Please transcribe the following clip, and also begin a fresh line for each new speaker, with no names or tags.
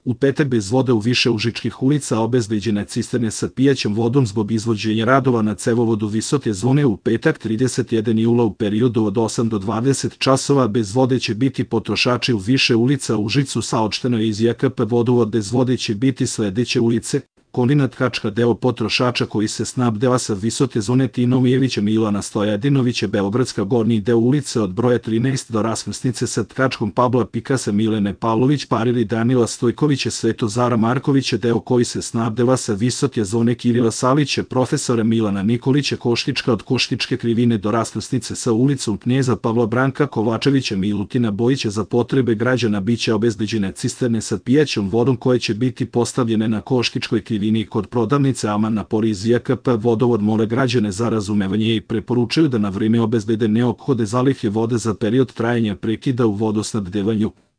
U petak bez vode u više užičkih ulica obezbeđene cisterne sa pijaćom vodom zbog izvođenja radova na cevovodu visoke zone. U petak 31. jula u periodu od 8 do 20 časova bez vode će biti potrošači u više ulica u Užicu. Saopšteno je iz JKP vodovod. Bez vode će biti sledeće ulice: Koninat Kačka, deo potrošača koji se snabdeva sa visoke zone Tinomijevića Milana Stojadinovića, Beogradska, gornji deo ulice od broja 13 do raskrsnice sa Tkačkom, Pabla Pikasa, Milene Pavlović, Parili, Danila Stojkovića, Svetozara Markovića, deo koji se snabdeva sa visoke zone Kirila Salića, profesora Milana Nikolića, Koštička, od Koštičke krivine do raskrsnice sa ulicom Knjeza Pavla Branka Kovačevića, Milutina Bojića. Za potrebe građana biće obezbeđene cisterne sa pijaćom vodom koje će biti postavljene na Koštičkoj krivini kod prodavnice Aman. Napori iz JKP vodovod mole građane za razumevanje i preporučuju da na vreme obezbede neophodne zalihe vode za period trajanja prekida u vodosnabdevanju.